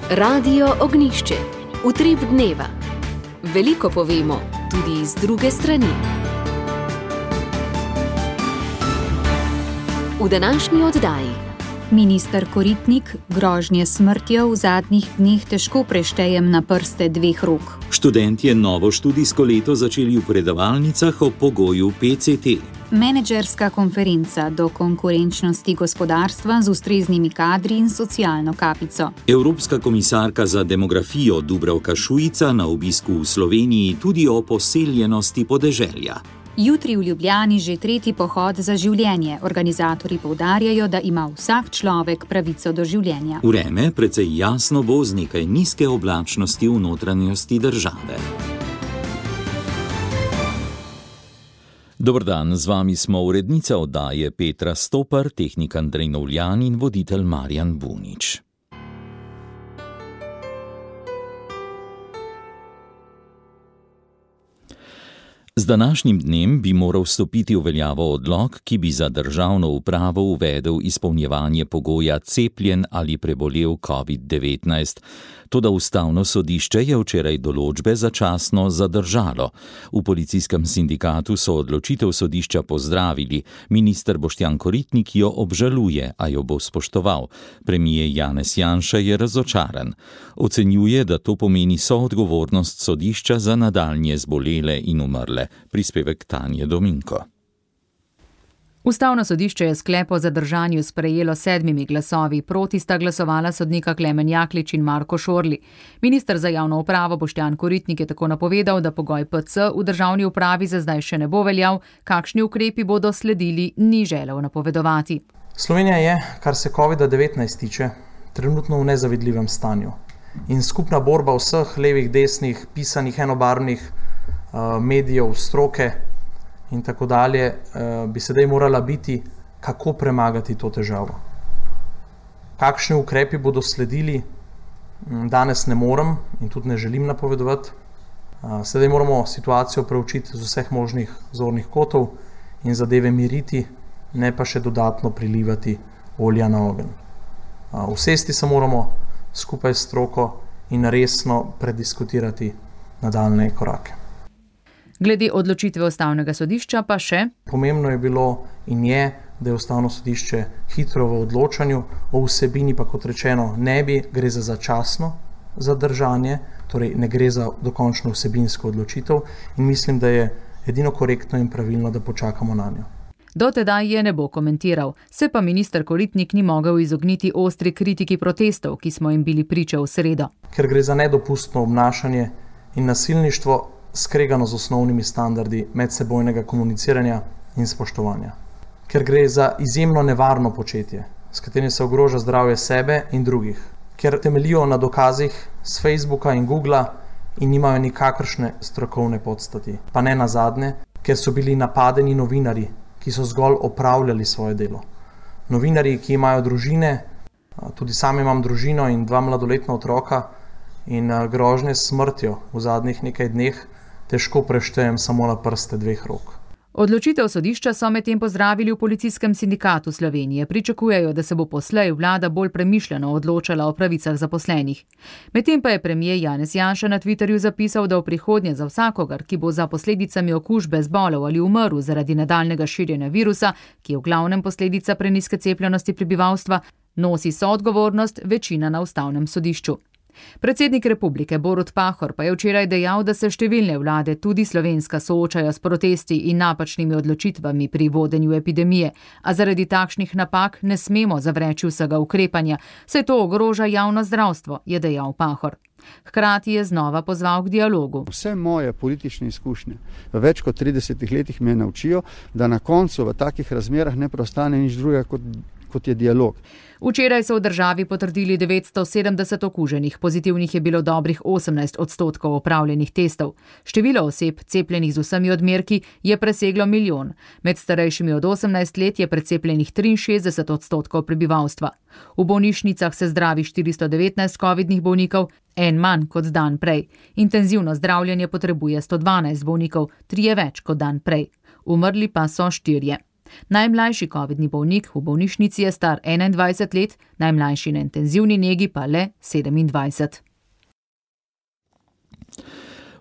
Radio Ognišče, utrip dneva. Veliko povemo, tudi iz druge strani. V današnji oddaji. Minister Koritnik, grožnje smrtjo v zadnjih dneh težko preštejem na prste dveh rok. Študentje novo študijsko leto začeli v predavalnicah o pogoju PCT. Menedžerska konferenca do konkurenčnosti gospodarstva z ustreznimi kadri in socialno kapico. Evropska komisarka za demografijo Dubravka Šuica na obisku v Sloveniji tudi o poseljenosti podeželja. Jutri v Ljubljani že tretji pohod za življenje. Organizatorji poudarjajo, da ima vsak človek pravico do življenja. Vreme precej jasno bo z nekaj nizke oblačnosti v notranjosti države. Dober dan, z vami smo urednica oddaje Petra Stopar, tehnik Andrej Novljan in voditelj Marjan Bunič. Z današnjim dnem bi moral stopiti v veljavo odlok, ki bi za državno upravo uvedel izpolnjevanje pogoja cepljen ali prebolel COVID-19. Toda ustavno sodišče je včeraj določbe začasno zadržalo. V policijskem sindikatu so odločitev sodišča pozdravili. Minister Boštjan Koritnik jo obžaluje, a jo bo spoštoval. Premier Janez Janša je razočaran. Ocenjuje, da to pomeni soodgovornost sodišča za nadaljnje zbolele in umrle. Prispevek Tanje Dominko. Ustavno sodišče je sklep o zadržanju sprejelo 7 glasovi, proti sta glasovala sodnika Klemen Jaklič in Marko Šorli. Minister za javno upravo Boštjan Koritnik je tako napovedal, da pogoj PC v državni upravi za zdaj še ne bo veljal, kakšni ukrepi bodo sledili, ni želel napovedovati. Slovenija je, kar se COVID-19 tiče, trenutno v nezavidljivem stanju. In skupna borba vseh levih, desnih, pisanih, enobarvnih medijev, stroke in tako dalje, bi sedaj morala biti, kako premagati to težavo. Kakšni ukrepi bodo sledili, danes ne morem in tudi ne želim napovedovati. Sedaj moramo situacijo preučiti z vseh možnih zornih kotov in zadeve miriti, ne pa še dodatno prilivati olja na ogenj. Usesti se moramo skupaj s stroko in resno prediskutirati nadaljnje korake. Glede odločitve ustavnega sodišča pa še. Pomembno je bilo in je, da je ustavno sodišče hitro v odločanju, o vsebini pa, kot rečeno, ne bi, gre za začasno zadržanje, torej ne gre za dokončno vsebinsko odločitev in mislim, da je edino korektno in pravilno, da počakamo na njo. Do tedaj je ne bo komentiral, se pa minister Koritnik ni mogel izogniti ostri kritiki protestov, ki smo jim bili priča v sredo. Ker gre za nedopustno obnašanje in nasilništvo, skregano z osnovnimi standardi medsebojnega komuniciranja in spoštovanja. Ker gre za izjemno nevarno početje, s katerim se ogroža zdravje sebe in drugih. Ker temeljijo na dokazih z Facebooka in Googla in nimajo nikakršne strokovne podstati. Pa ne nazadnje, ker so bili napadeni novinarji, ki so zgolj opravljali svoje delo. Novinarji, ki imajo družine, tudi sam imam družino in 2 mladoletna otroka, in grožnje s smrtjo v zadnjih nekaj dneh težko preštejem samo na prste 2 rok. Odločitev sodišča so medtem pozdravili v policijskem sindikatu Slovenije. Pričakujejo, da se bo poslej vlada bolj premišljeno odločala o pravicah zaposlenih. Medtem pa je premier Janez Janša na Twitterju zapisal, da v prihodnje za vsakogar, ki bo za posledicami okužbe zbolel ali umrl zaradi nadaljnjega širjenja virusa, ki je v glavnem posledica prenizke cepljenosti prebivalstva, nosi soodgovornost večina na ustavnem sodišču. Predsednik republike Borut Pahor pa je včeraj dejal, da se številne vlade, tudi slovenska, soočajo s protesti in napačnimi odločitvami pri vodenju epidemije, a zaradi takšnih napak ne smemo zavreči vsega ukrepanja, saj to ogroža javno zdravstvo, je dejal Pahor. Hkrati je znova pozval k dialogu. Vse moje politične izkušnje v več kot 30 letih me naučijo, da na koncu v takih razmerah ne preostane nič drugega kot je dialog. Včeraj so v državi potrdili 970 okuženih, pozitivnih je bilo dobrih 18% opravljenih testov. Število oseb, cepljenih z vsemi odmerki, je preseglo 1 milijon. Med starejšimi od 18 let je precepljenih 63% prebivalstva. V bolnišnicah se zdravi 419 covidnih bolnikov, en manj kot dan prej. Intenzivno zdravljenje potrebuje 112 bolnikov, 3 več kot dan prej. Umrli pa so 4. Najmlajši covidni bolnik v bolnišnici je star 21 let, najmlajši na intenzivni negi pa le 27.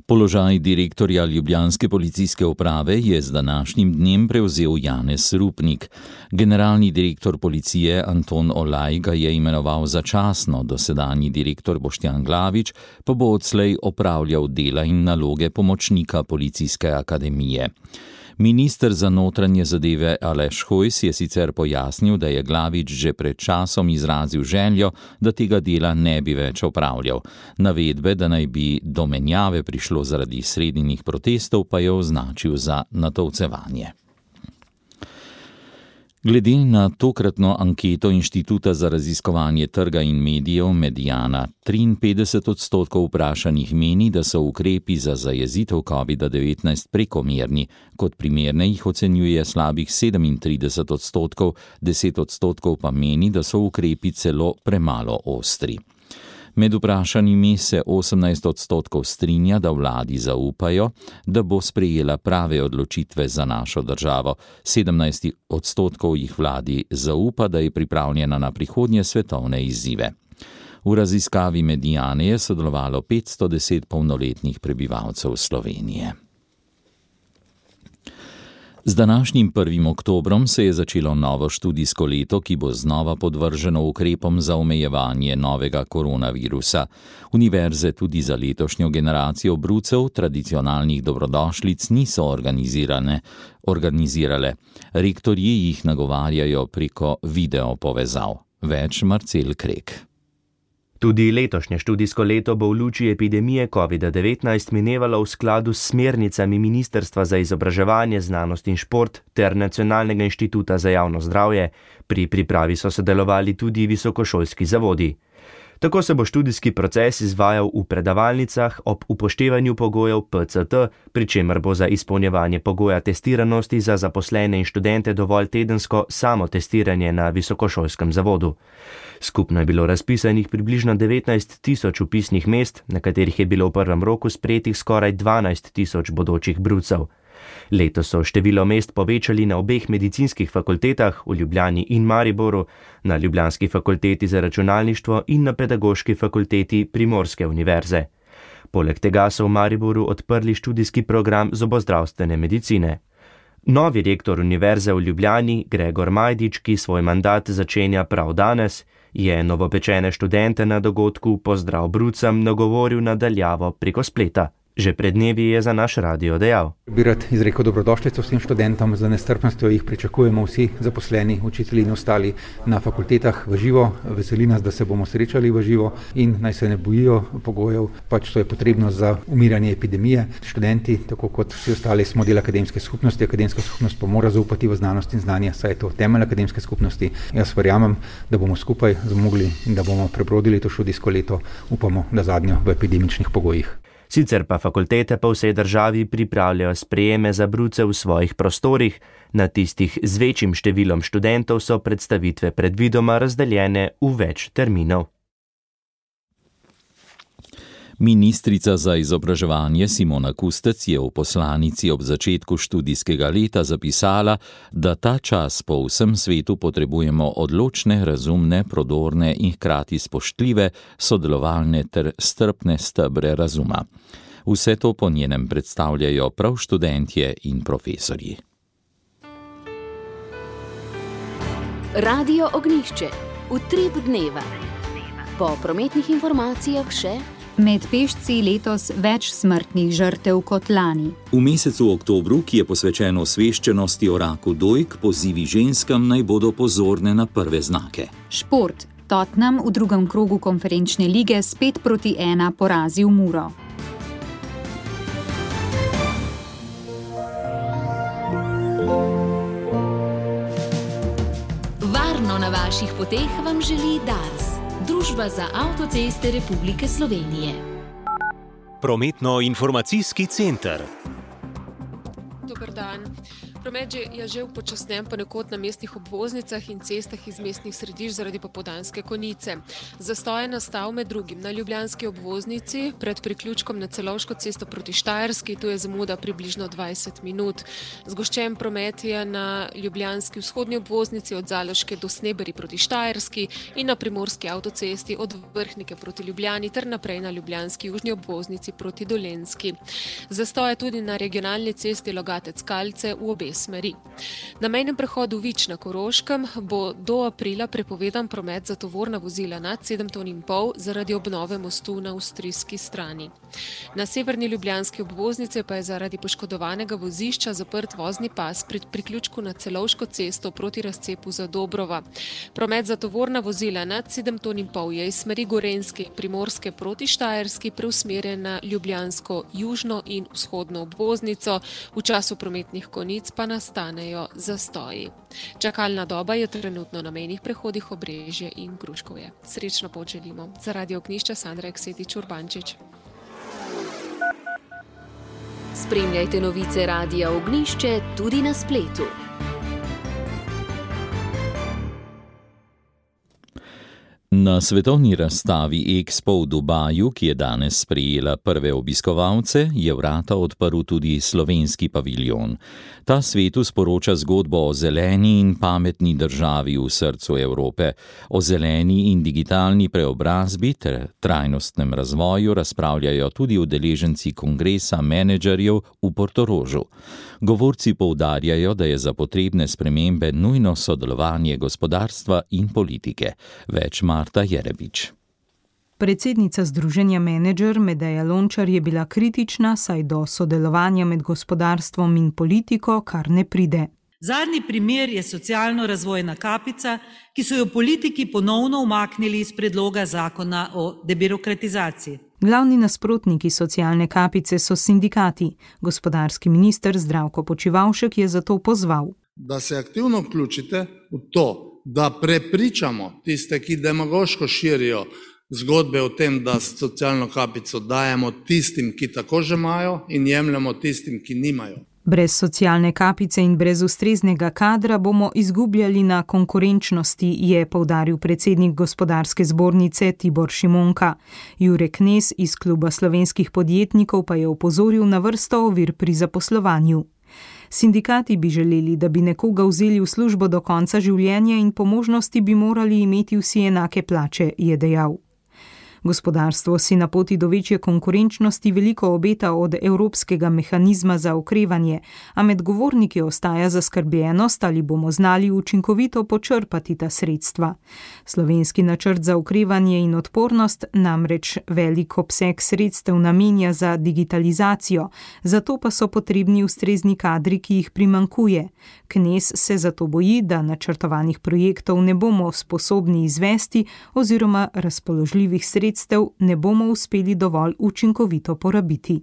Položaj direktorja ljubljanske policijske uprave je z današnjim dnem prevzel Janez Rupnik. Generalni direktor policije Anton Olaj ga je imenoval začasno, dosedanji direktor Boštjan Glavič pa bo odslej opravljal dela in naloge pomočnika policijske akademije. Minister za notranje zadeve Aleš Hojs je sicer pojasnil, da je Glavič že pred časom izrazil željo, da tega dela ne bi več opravljal. Navedbe, da naj bi do menjave prišlo zaradi sredinjih protestov, pa je označil za natovcevanje. Glede na tokratno anketo Inštituta za raziskovanje trga in medijev Mediana, 53% vprašanih meni, da so ukrepi za zajezitev COVID-19 prekomerni, kot primerne jih ocenjuje slabih 37%, 10% pa meni, da so ukrepi celo premalo ostri. Med vprašanimi se 18% strinja, da vladi zaupajo, da bo sprejela prave odločitve za našo državo. 17% jih vladi zaupa, da je pripravljena na prihodnje svetovne izzive. V raziskavi Mediane je sodelovalo 510 polnoletnih prebivalcev Slovenije. Z današnjim 1. oktobrom se je začelo novo študijsko leto, ki bo znova podvrženo ukrepom za omejevanje novega koronavirusa. Univerze tudi za letošnjo generacijo brucev tradicionalnih dobrodošlic niso organizirale. Rektorji jih nagovarjajo preko video povezav. Več Marcel Krek. Tudi letošnje študijsko leto bo v luči epidemije COVID-19 minevalo v skladu s smernicami Ministrstva za izobraževanje, znanost in šport ter Nacionalnega inštituta za javno zdravje. Pri pripravi so sodelovali tudi visokošolski zavodi. Tako se bo študijski proces izvajal v predavalnicah ob upoštevanju pogojev PCT, pri čemer bo za izpolnjevanje pogoja testiranosti za zaposlene in študente dovolj tedensko samotestiranje na visokošolskem zavodu. Skupno je bilo razpisanih približno 19.000 vpisnih mest, na katerih je bilo v prvem roku sprejetih skoraj 12.000 bodočih brucev. Letos so število mest povečali na obeh medicinskih fakultetah v Ljubljani in Mariboru, na Ljubljanski fakulteti za računalništvo in na Pedagoški fakulteti Primorske univerze. Poleg tega so v Mariboru odprli študijski program zobozdravstvene medicine. Novi rektor univerze v Ljubljani, Gregor Majdič, ki svoj mandat začenja prav danes, je novopečene študente na dogodku Pozdrav brucem nagovoril na daljavo preko spleta. Že pred dnevi je za naš radio dejal. Bi rad izrekel dobrodošlico vsem študentom, z nestrpnostjo jih pričakujemo vsi zaposleni, učitelji in ostali na fakultetah v živo. Veseli nas, da se bomo srečali v živo in naj se ne bojijo pogojev, pač to je potrebno za umiranje epidemije. Študenti, tako kot vsi ostali, smo del akademske skupnosti, akademska skupnost pa mora zaupati v znanost in znanje, saj je to temelj akademske skupnosti. Jaz verjamem, da bomo skupaj zmogli in da bomo prebrodili to študijsko leto, upamo, da zadnjo v epidemičnih pogojih. Sicer pa fakultete po vsej državi pripravljajo sprejeme za bruce v svojih prostorih, na tistih z večjim številom študentov so predstavitve predvidoma razdeljene v več terminov. Ministrica za izobraževanje Simona Kustec je v poslanici ob začetku študijskega leta zapisala, da ta čas po vsem svetu potrebujemo odločne, razumne, prodorne in hkrati spoštljive, sodelovalne ter strpne stebre razuma. Vse to po njenem predstavljajo prav študentje in profesorji. Radio Ognjišče. Utrip dneva. Po prometnih informacijah še med pešci letos več smrtnih žrtev kot lani. V mesecu oktobru, ki je posvečen osveščenosti o raku dojk, pozivi ženskam naj bodo pozorne na prve znake. Šport. Tottenham v drugem krogu konferenčne lige s 5-1 porazil Muro. Varno na vaših poteh vam želi Dars. Družba za avtoceste Republike Slovenije. Prometno-informacijski center. Dober dan. Promet je že upočasnjen ponekod na mestnih obvoznicah in cestah iz mestnih središč zaradi popoldanske konice. Zastoj je nastal med drugim na ljubljanski obvoznici pred priključkom na Celovško cesto proti Štajerski, tu je zamuda približno 20 minut. Zgoščen promet je na ljubljanski vzhodni obvoznici od Zaloške do Sneberi proti Štajerski in na primorski avtocesti od Vrhnike proti Ljubljani ter naprej na ljubljanski južni obvoznici proti Dolenjski. Zastoj je tudi na regionalni cesti Logatec-Kalce v obe smeri. Na mejnem prehodu Vič na Koroškem bo do aprila prepovedan promet za tovorna vozila nad 7,5 ton zaradi obnove mostu na avstrijski strani. Na severni ljubljanski obvoznici pa je zaradi poškodovanega vozišča zaprt vozni pas pri priključku na Celovško cesto proti razcepu za Dobrova. Promet za tovorna vozila nad 7,5 ton je iz smeri Gorenjske in Primorske proti Štajerski preusmerjen na ljubljansko južno in vzhodno obvoznico, v času prometnih konic pa nastanejo zastoji. Čakalna doba je trenutno na mejnih prehodih Obrežje in Gruškovje. Srečno pot želimo. Za Radio Ognjišče Sandra Eksetič-Urbančič. Spremljajte novice Radia Ognjišče tudi na spletu. Na svetovni razstavi Expo v Dubaju, ki je danes sprejela prve obiskovalce, je vrata odprl tudi slovenski paviljon. Ta svetu sporoča zgodbo o zeleni in pametni državi v srcu Evrope. O zeleni in digitalni preobrazbi ter trajnostnem razvoju razpravljajo tudi udeleženci kongresa menedžerjev v Portorožu. Govorci poudarjajo, da je za potrebne spremembe nujno sodelovanje gospodarstva in politike. Več Marta Jerebič. Predsednica Združenja Menedžer Medeja Lončar je bila kritična, saj do sodelovanja med gospodarstvom in politiko kar ne pride. Zadnji primer je socialno-razvojna kapica, ki so jo politiki ponovno umaknili iz predloga zakona o debirokratizaciji. Glavni nasprotniki socialne kapice so sindikati. Gospodarski minister Zdravko Počivalšek je zato pozval, da se aktivno vključite v to, da prepričamo tiste, ki demagoško širijo zgodbe o tem, da socialno kapico dajemo tistim, ki tako že imajo, in jemljemo tistim, ki nimajo. Brez socialne kapice in brez ustreznega kadra bomo izgubljali na konkurenčnosti, je poudaril predsednik Gospodarske zbornice Tibor Šimonka. Jure Knez iz Kluba slovenskih podjetnikov pa je opozoril na vrsto ovir pri zaposlovanju. Sindikati bi želeli, da bi nekoga vzeli v službo do konca življenja in po možnosti bi morali imeti vsi enake plače, je dejal. Gospodarstvo si na poti do večje konkurenčnosti veliko obeta od Evropskega mehanizma za okrevanje, a med govorniki ostaja zaskrbljenost, ali bomo znali učinkovito počrpati ta sredstva. Slovenski načrt za okrevanje in odpornost namreč velik obseg sredstev namenja za digitalizacijo, zato pa so potrebni ustrezni kadri, ki jih primanjkuje. Knez se zato boji, da načrtovanih projektov ne bomo sposobni izvesti oziroma razpoložljivih sredstev ne bomo uspeli dovolj učinkovito porabiti.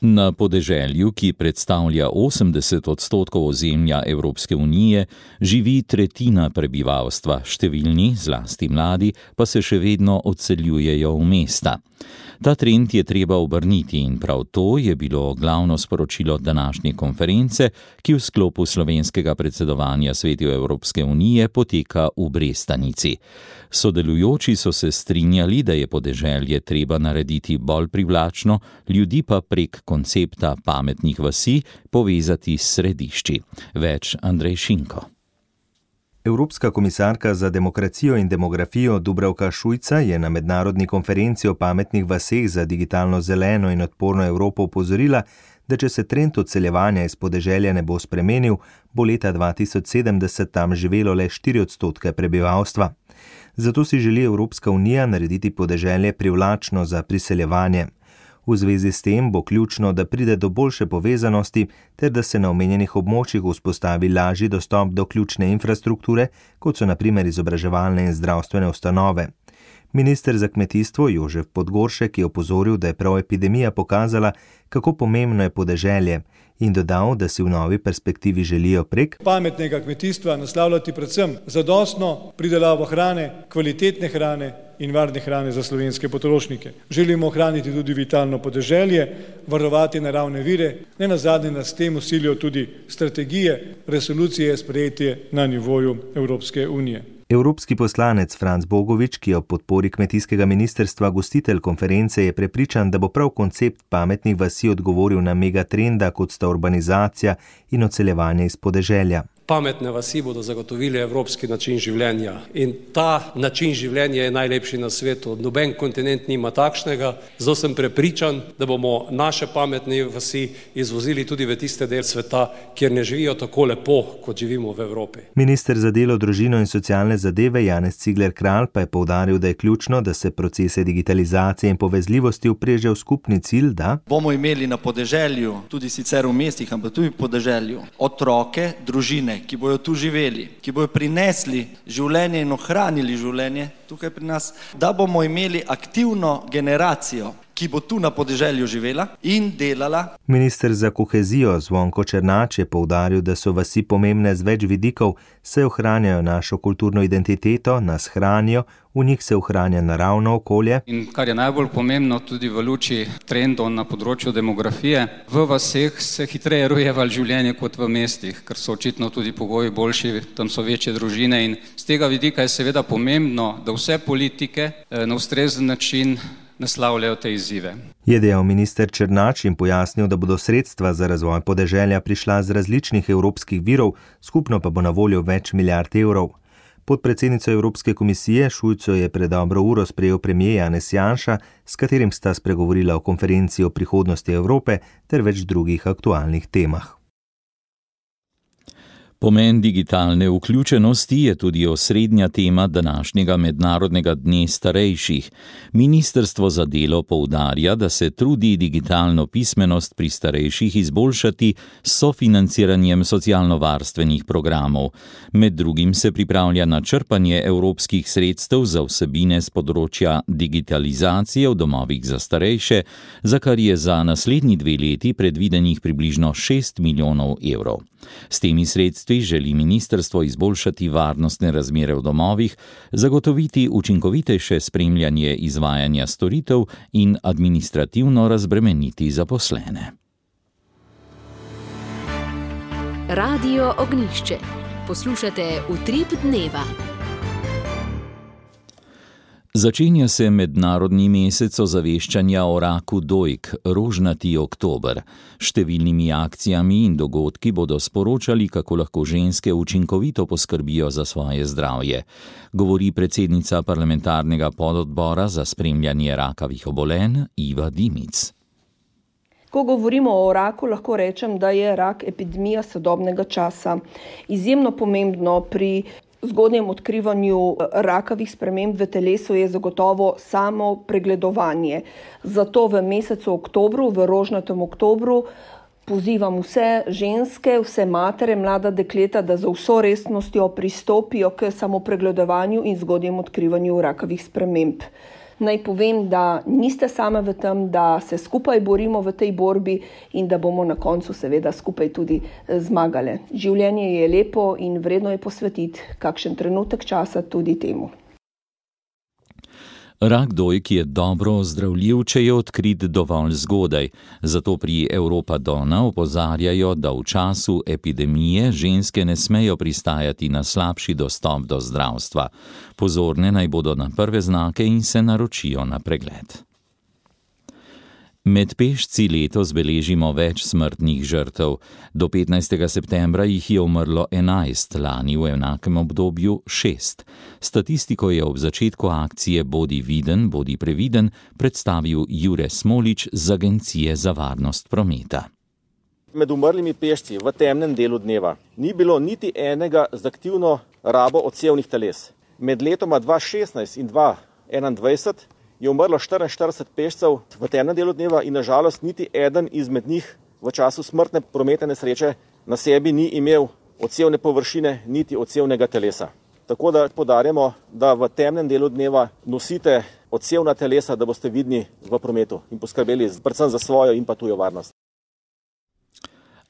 Na podeželju, ki predstavlja 80% ozemlja Evropske unije, živi tretjina prebivalstva, številni, zlasti mladi, pa se še vedno odseljujejo v mesta. Ta trend je treba obrniti in prav to je bilo glavno sporočilo današnje konference, ki v sklopu slovenskega predsedovanja Svetu Evropske unije poteka v Brestanici. Sodelujoči so se strinjali, da je podeželje treba narediti bolj privlačno, ljudi pa prek koncepta pametnih vasi povezati s središči. Več Andrej Šinko. Evropska komisarka za demokracijo in demografijo Dubravka Šuica je na mednarodni konferenci o pametnih vaseh za digitalno zeleno in odporno Evropo opozorila, da če se trend odseljevanja iz podeželja ne bo spremenil, bo leta 2070 tam živelo le 4% prebivalstva. Zato si želi Evropska unija narediti podeželje privlačno za priseljevanje. V zvezi s tem bo ključno, da pride do boljše povezanosti ter da se na omenjenih območjih vzpostavi lažji dostop do ključne infrastrukture, kot so na primer izobraževalne in zdravstvene ustanove. Minister za kmetijstvo Jožef Podgoršek je opozoril, da je prav epidemija pokazala, kako pomembno je podeželje, in dodal, da si v novi perspektivi želijo prek pametnega kmetijstva naslavljati predvsem zadostno pridelavo hrane, kvalitetne hrane, in varne hrane za slovenske potrošnike. Želimo ohraniti tudi vitalno podeželje, varovati naravne vire, ne nazadnje nas temu silijo tudi strategije, resolucije sprejetje na nivoju Evropske unije. Evropski poslanec Franc Bogovič, ki je ob podpori kmetijskega ministrstva gostitelj konference, je prepričan, da bo prav koncept pametnih vasi odgovoril na megatrenda, kot sta urbanizacija in odseljevanje iz podeželja. Pametne vasi bodo zagotovili evropski način življenja in ta način življenja je najlepši na svetu. Noben kontinent nima takšnega, zato sem prepričan, da bomo naše pametne vasi izvozili tudi v tiste del sveta, kjer ne živijo tako lepo, kot živimo v Evropi. Minister za delo, družino in socialne zadeve Janez Cigler Kralj pa je poudaril, da je ključno, da se procese digitalizacije in povezljivosti upreže v skupni cilj, da bomo imeli na podeželju, tudi sicer v mestih, ampak tudi v podeželju, otroke, družine, ki bojo tu živeli, ki bojo prinesli življenje in ohranili življenje tukaj pri nas, da bomo imeli aktivno generacijo, ki bo tu na podeželju živela in delala. Minister za kohezijo Zvonko Černač je poudaril, da so vasi pomembne z več vidikov, saj ohranjajo našo kulturno identiteto, nas hranijo, v njih se ohranja naravno okolje. In kar je najbolj pomembno tudi v luči trendov na področju demografije, v vaseh se hitreje rojeva življenje kot v mestih, ker so očitno tudi pogoji boljši, tam so večje družine in z tega vidika je seveda pomembno, da vse politike na ustrezen način naslavljajo te izzive. Je dejal minister Černač in pojasnil, da bodo sredstva za razvoj podeželja prišla z različnih evropskih virov, skupno pa bo na voljo več milijard evrov. Podpredsednico Evropske komisije Šujco je pred dobro uro sprejel premier Janez Janša, s katerim sta spregovorila o konferenci o prihodnosti Evrope ter več drugih aktualnih temah. Pomen digitalne vključenosti je tudi osrednja tema današnjega mednarodnega dne starejših. Ministrstvo za delo poudarja, da se trudi digitalno pismenost pri starejših izboljšati s sofinanciranjem socialno-varstvenih programov. Med drugim se pripravlja na črpanje evropskih sredstev za vsebine z področja digitalizacije v domovih za starejše, za kar je za naslednji 2 leti predvidenih približno 6 milijonov evrov. S temi sredstvi želi ministrstvo izboljšati varnostne razmere v domovih, zagotoviti učinkovitejše spremljanje izvajanja storitev in administrativno razbremeniti zaposlene. Radio Ognjišče. Poslušate Utrip dneva. Začenja se mednarodni mesec ozaveščanja o raku dojk, rožnati oktober. Številnimi akcijami in dogodki bodo sporočali, kako lahko ženske učinkovito poskrbijo za svoje zdravje, govori predsednica parlamentarnega pododbora za spremljanje rakavih obolenj Iva Dimic. Ko govorimo o raku, lahko rečem, da je rak epidemija sodobnega časa. Izjemno pomembno pri zgodnjem odkrivanju rakavih sprememb v telesu je zagotovo samo pregledovanje. Zato v mesecu oktobru, v rožnatem oktobru, pozivam vse ženske, vse matere, mlada dekleta, da za vso resnostjo pristopijo k samopregledovanju in zgodnjem odkrivanju rakavih sprememb. Naj povem, da niste same v tem, da se skupaj borimo v tej borbi in da bomo na koncu seveda skupaj tudi zmagali. Življenje je lepo in vredno je posvetiti kakšen trenutek časa tudi temu. Rak dojk je dobro ozdravljiv, če je odkrit dovolj zgodaj. Zato pri Europa Donna opozarjajo, da v času epidemije ženske ne smejo pristajati na slabši dostop do zdravstva. Pozorne naj bodo na prve znake in se naročijo na pregled. Med pešci letos beležimo več smrtnih žrtev. Do 15. septembra jih je umrlo 11, lani v enakem obdobju 6. Statistiko je ob začetku akcije Bodi viden, bodi previden predstavil Jure Smolič z Agencije za varnost prometa. Med umrlimi pešci v temnem delu dneva ni bilo niti enega z aktivno rabo odsevnih teles. Med letoma 2016 in 2021 je umrlo 44 pešcev v temnem delu dneva in nažalost niti eden izmed njih v času smrtne prometne nesreče na sebi ni imel odsevne površine niti odsevnega telesa. Tako da poudarjamo, da v temnem delu dneva nosite odsevna telesa, da boste vidni v prometu in poskrbeli predvsem za svojo in pa tujo varnost.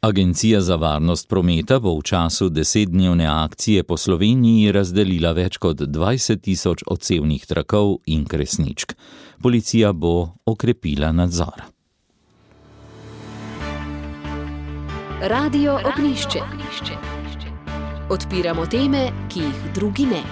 Agencija za varnost prometa bo v času 10-dnevne akcije po Sloveniji razdelila več kot 20.000 odsevnih trakov in kresničk. Policija bo okrepila nadzor. Radio Ognjišče. Odpiramo teme, ki jih drugi ne.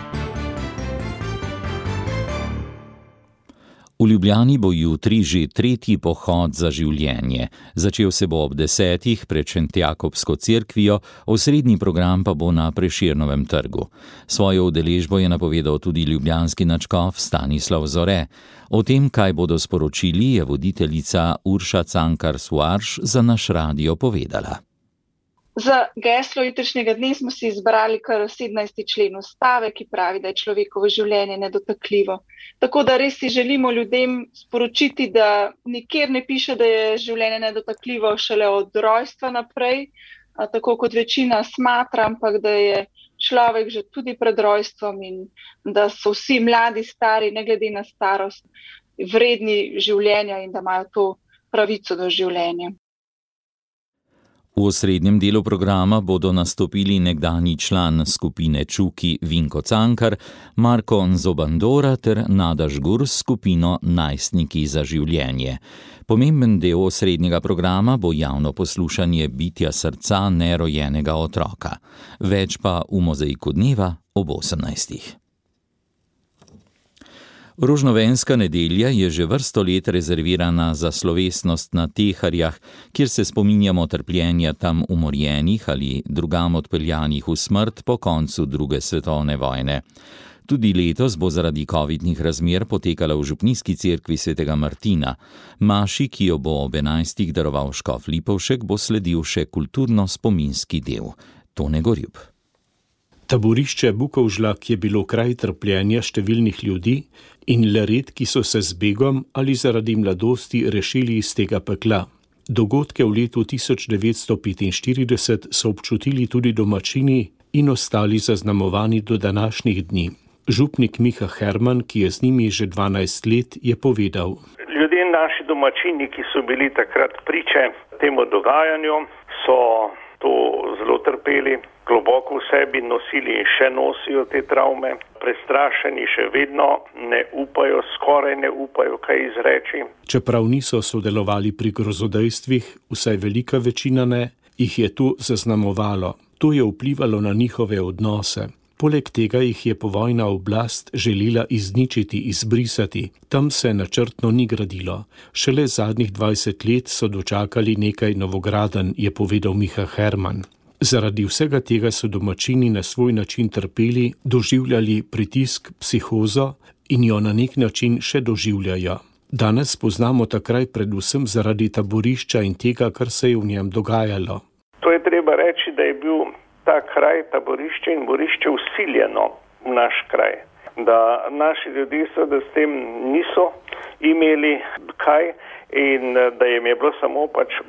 V Ljubljani bo jutri že 3. pohod za življenje. Začel se bo ob 10. pred Šentjakobsko cerkvijo, osrednji program pa bo na Prešernovem trgu. Svojo udeležbo je napovedal tudi ljubljanski nadškof Stanislav Zore. O tem, kaj bodo sporočili, je voditeljica Urša Cankar-Suarš za naš radio povedala. Za geslo jutrišnjega dne smo si izbrali kar 17. člen Ustave, ki pravi, da je človekovo življenje nedotakljivo. Tako da res si želimo ljudem sporočiti, da nikjer ne piše, da je življenje nedotakljivo šele od rojstva naprej, tako kot večina smatra, ampak da je človek že tudi pred rojstvom in da so vsi mladi, stari, ne glede na starost, vredni življenja in da imajo to pravico do življenja. V osrednjem delu programa bodo nastopili nekdanji član skupine Čuki Vinko Cankar, Marko Nzobandora ter Nada Žgur s skupino Najstniki za življenje. Pomemben del osrednjega programa bo javno poslušanje bitja srca nerojenega otroka. Več pa v Mozaiku dneva ob 18. Rožnovenska nedelja je že vrsto let rezervirana za slovesnost na Teharjah, kjer se spominjamo trpljenja tam umorjenih ali drugam odpeljanih v smrt po koncu II. Svetovne vojne. Tudi letos bo zaradi covidnih razmer potekala v župnijski cerkvi svetega Martina. Maši, ki jo bo ob 11. daroval škof Lipovšek, bo sledil še kulturno-spominski del. Tone Gorjub. Taborišče Bukovžlak je bilo kraj trpljenja številnih ljudi in le redki so se z begom ali zaradi mladosti rešili iz tega pekla. Dogodke v letu 1945 so občutili tudi domačini in ostali zaznamovani do današnjih dni. Župnik Miha Herman, ki je z njimi že 12 let, je povedal. Ljudje, naši domačini, ki so bili takrat priče temu dogajanju, so to zelo trpeli, globoko v sebi nosili in še nosijo te travme. Prestrašeni še vedno ne upajo, skoraj ne upajo kaj izreči. Čeprav niso sodelovali pri grozodejstvih, vsaj velika večina ne, jih je to zaznamovalo. To je vplivalo na njihove odnose. Poleg tega jih je povojna oblast želela izničiti, izbrisati. Tam se načrtno ni gradilo. Šele zadnjih 20 let so dočakali nekaj novogradenj, je povedal Miha Herman. Zaradi vsega tega so domačini na svoj način trpeli, doživljali pritisk, psihozo in jo na nek način še doživljajo. Danes poznamo ta kraj predvsem zaradi taborišča in tega, kar se je v njem dogajalo. To je treba reči, da je bil ta kraj, taborišče in borišče vsiljeno v naš kraj. Da naši ljudje seveda s tem niso imeli kaj in da jim je bilo samo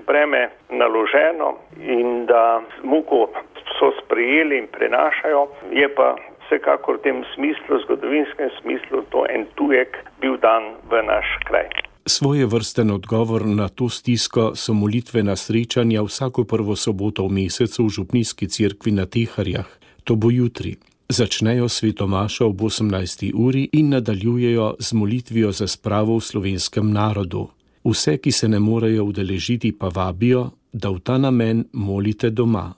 breme naloženo in da muko so sprejeli in prenašajo, je pa vsekakor v tem smislu, zgodovinskem smislu, to en tujek bil dan v naš kraj. Svoje vrsten odgovor na to stisko so molitvena srečanja vsako prvo soboto v mesecu v župnijski cerkvi na Teharjah. To bo jutri. Začnejo svetomašo ob 18. uri in nadaljujejo z molitvijo za spravo v slovenskem narodu. Vse, ki se ne morejo udeležiti, pa vabijo, da v ta namen molite doma.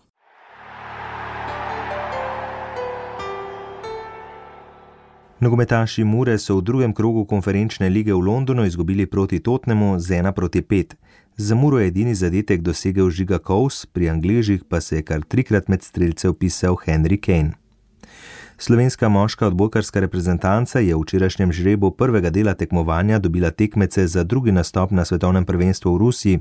Nogometaši Mure so v drugem krogu konferenčne lige v Londonu izgubili proti Tottenhamu z 1-5. Za Muro je edini zadetek dosegel Žiga Kous, pri Angležih pa se je kar 3-krat med strelce vpisal Henry Kane. Slovenska moška odbojkarska reprezentanca je v včerajšnjem žrebu prvega dela tekmovanja dobila tekmece za drugi nastop na svetovnem prvenstvu v Rusiji.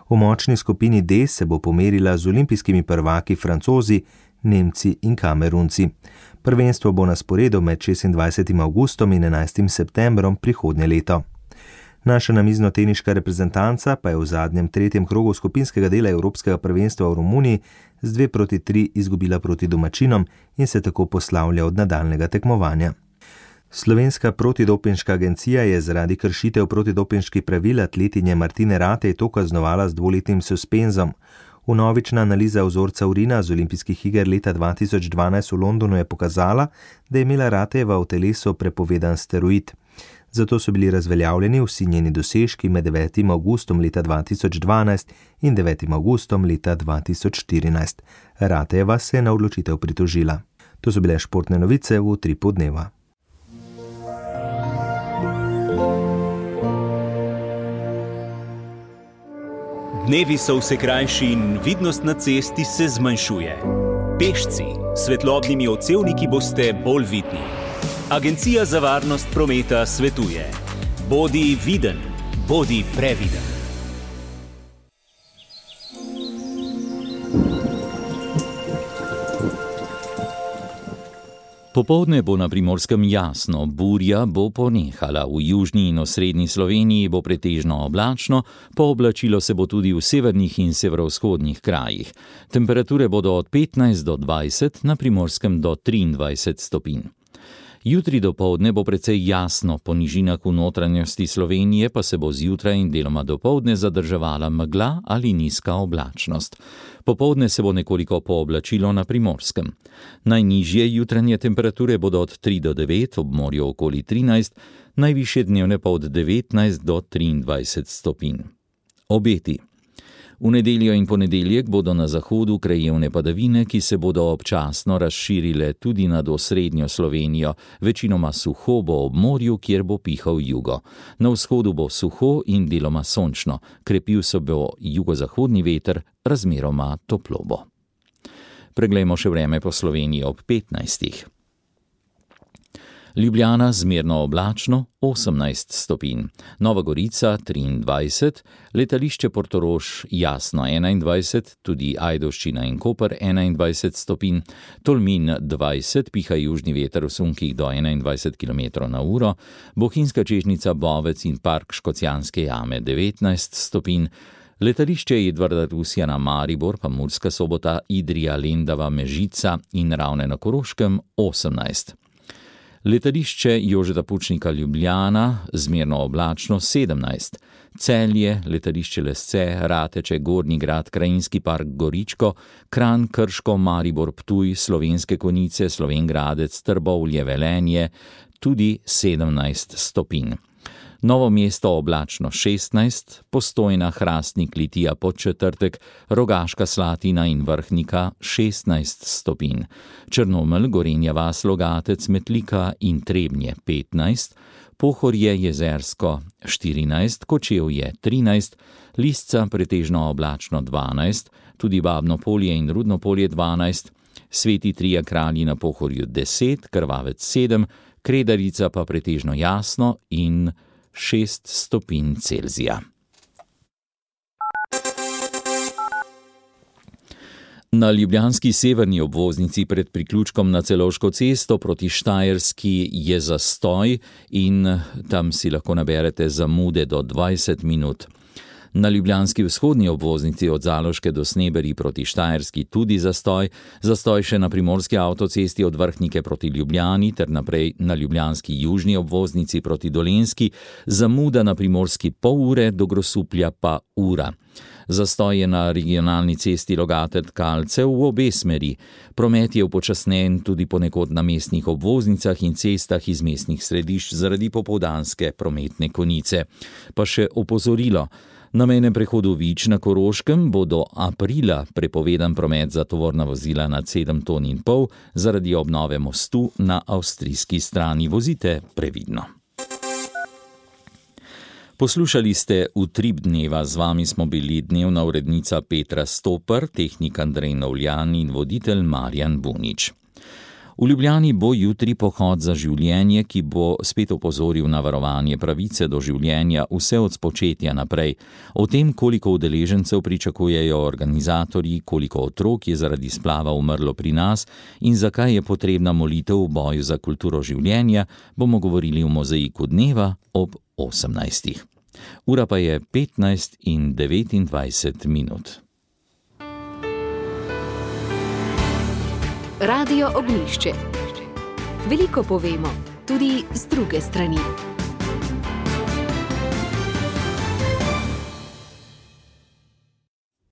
V močni skupini D se bo pomerila z olimpijskimi prvaki Francozi, Nemci in Kamerunci. Prvenstvo bo na sporedu med 26. avgustom in 11. septembrom prihodnje leto. Naša namiznoteniška reprezentanca pa je v zadnjem tretjem krogu skupinskega dela Evropskega prvenstva v Romuniji z 2-3 izgubila proti domačinom in se tako poslavlja od nadaljnega tekmovanja. Slovenska protidopinška agencija je zaradi kršitev protidopinških pravil atletinje Martine Ratej to kaznovala z 2-letnim suspenzom. Vnovična analiza vzorca urina z olimpijskih iger leta 2012 v Londonu je pokazala, da je imela Ratejeva v telesu prepovedan steroid. Zato so bili razveljavljeni vsi njeni dosežki med 9. avgustom leta 2012 in 9. avgustom leta 2014. Ratejeva se je na odločitev pritožila. To so bile športne novice v Utripu dneva. Dnevi so vse krajši in vidnost na cesti se zmanjšuje. Pešci s svetlobnimi odsevniki boste bolj vidni. Agencija za varnost prometa svetuje: bodi viden, bodi previden. Popoldne bo na Primorskem jasno, burja bo ponehala. V južni in osrednji Sloveniji bo pretežno oblačno, pooblačilo se bo tudi v severnih in severovzhodnih krajih. Temperature bodo od 15 do 20, na Primorskem do 23 stopinj. Jutri dopoldne bo precej jasno, po nižinah v notranjosti Slovenije pa se bo zjutraj in deloma dopoldne zadrževala megla ali nizka oblačnost. Popoldne se bo nekoliko pooblačilo na Primorskem. Najnižje jutranje temperature bodo od 3 do 9, ob morju okoli 13, najvišje dnevne pa od 19 do 23 stopinj. Obeti. V nedeljo in ponedeljek bodo na zahodu krajevne padavine, ki se bodo občasno razširile tudi nad osrednjo Slovenijo, večinoma suho bo ob morju, kjer bo pihal jugo. Na vzhodu bo suho in deloma sončno, krepil se bo jugozahodni veter, razmeroma toplo bo. Preglejmo še vreme po Sloveniji ob 15. Ljubljana zmerno oblačno 18 stopinj, Nova Gorica 23, letališče Portorož jasno 21, tudi Ajdovščina in Koper 21 stopinj, Tolmin 20, piha južni veter v sunkih do 21 km/h, Bohinjska Čežnica, Bovec in park Škocjanske jame 19 stopinj, letališče Edvarda Rusjana Maribor, pa Murska Sobota, Idrija, Lendava, Mežica in Ravne na Koroškem 18. Letališče Jožeta Pučnika Ljubljana, zmerno oblačno 17, Celje, letališče Lesce, Rateče, Gornji Grad, Krajinski park Goričko, Kranj, Krško, Maribor, Ptuj, Slovenske Konjice, Slovenj Gradec, Trbovlje, Velenje, tudi 17 stopinj. Novo mesto oblačno 16, Postojna, Hrastnik, Litija, Podčetrtek, Rogaška Slatina in Vrhnika 16 stopinj. Črnomelj, Gorenja vas, Logatec, Metlika in Trebnje 15, Pohorje, Jezersko 14, Kočevje 13, Lisca pretežno oblačno 12, tudi Babno Polje in Rudno Polje 12, Sveti Trije Kralji na Pohorju 10, Krvavec 7, Kredarica pa pretežno jasno in 6 stopinj Celzija. Na ljubljanski severni obvoznici pred priključkom na Celovško cesto proti Štajerski je zastoj in tam si lahko naberete zamude do 20 minut. Na ljubljanski vzhodni obvoznici od Zaloške do Sneberi proti Štajerski tudi zastoj še na primorski avtocesti od Vrhnike proti Ljubljani ter naprej na ljubljanski južni obvoznici proti Dolenjski, zamuda na primorski pol ure, do Grosuplja pa ura. Zastoj je na regionalni cesti Logatec-Kalce v obe smeri. Promet je upočasnjen tudi ponekod na mestnih obvoznicah in cestah iz mestnih središč zaradi popoldanske prometne konice. Pa še opozorilo. Na mejnem prehodu Vič na Koroškem bo do aprila prepovedan promet za tovorna vozila nad 7,5 ton zaradi obnove mostu na avstrijski strani. Vozite previdno. Poslušali ste Utrip dneva, z vami smo bili dnevna urednica Petra Stoper, tehnik Andrej Novljan in voditelj Marjan Bunič. V Ljubljani bo jutri pohod za življenje, ki bo spet opozoril na varovanje pravice do življenja vse od spočetja naprej. O tem, koliko udeležencev pričakujejo organizatorji, koliko otrok je zaradi splava umrlo pri nas in zakaj je potrebna molitev v boju za kulturo življenja, bomo govorili v Mozaiku dneva ob 18. Ura pa je 15 in 29 minut. Radio Ognjišče. Veliko povemo, tudi z druge strani.